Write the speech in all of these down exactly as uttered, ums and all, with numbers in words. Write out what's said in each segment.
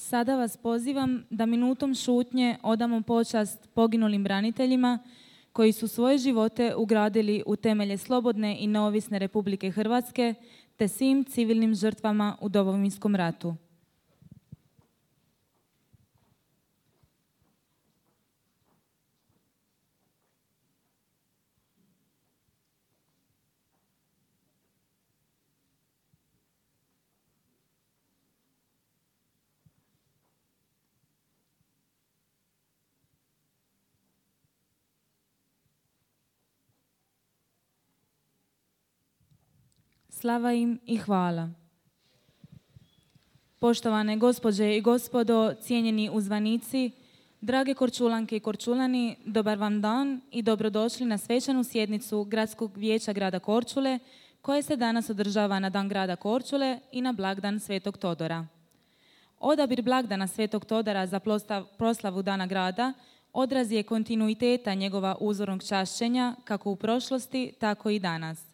Sada vas pozivam da minutom šutnje odamo počast poginulim braniteljima koji su svoje živote ugradili u temelje slobodne i neovisne Republike Hrvatske te svim civilnim žrtvama u Domovinskom ratu. Slava im i hvala. Poštovane gospođe i gospodo, cijenjeni uzvanici, drage Korčulanke i Korčulani, dobar vam dan i dobrodošli na svečanu sjednicu Gradskog vijeća grada Korčule, koje se danas održava na Dan grada Korčule i na blagdan Svetog Todora. Odabir blagdana Svetog Todora za proslavu Dana grada odraz je kontinuiteta njegova uzornog čašćenja kako u prošlosti, tako i danas.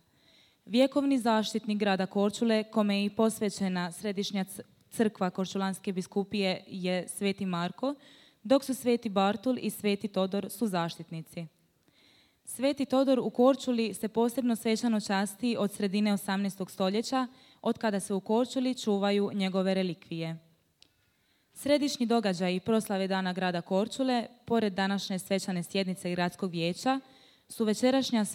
Vjekovni zaštitnik grada Korčule, kome je i posvećena središnja crkva Korčulanske biskupije, je Sveti Marko, dok su Sveti Bartul i Sveti Todor su zaštitnici. Sveti Todor u Korčuli se posebno svečano časti od sredine osamnaestog stoljeća, od kada se u Korčuli čuvaju njegove relikvije. Središnji događaj proslave Dana grada Korčule, pored današnje svečane sjednice Gradskog vijeća, su večerašnja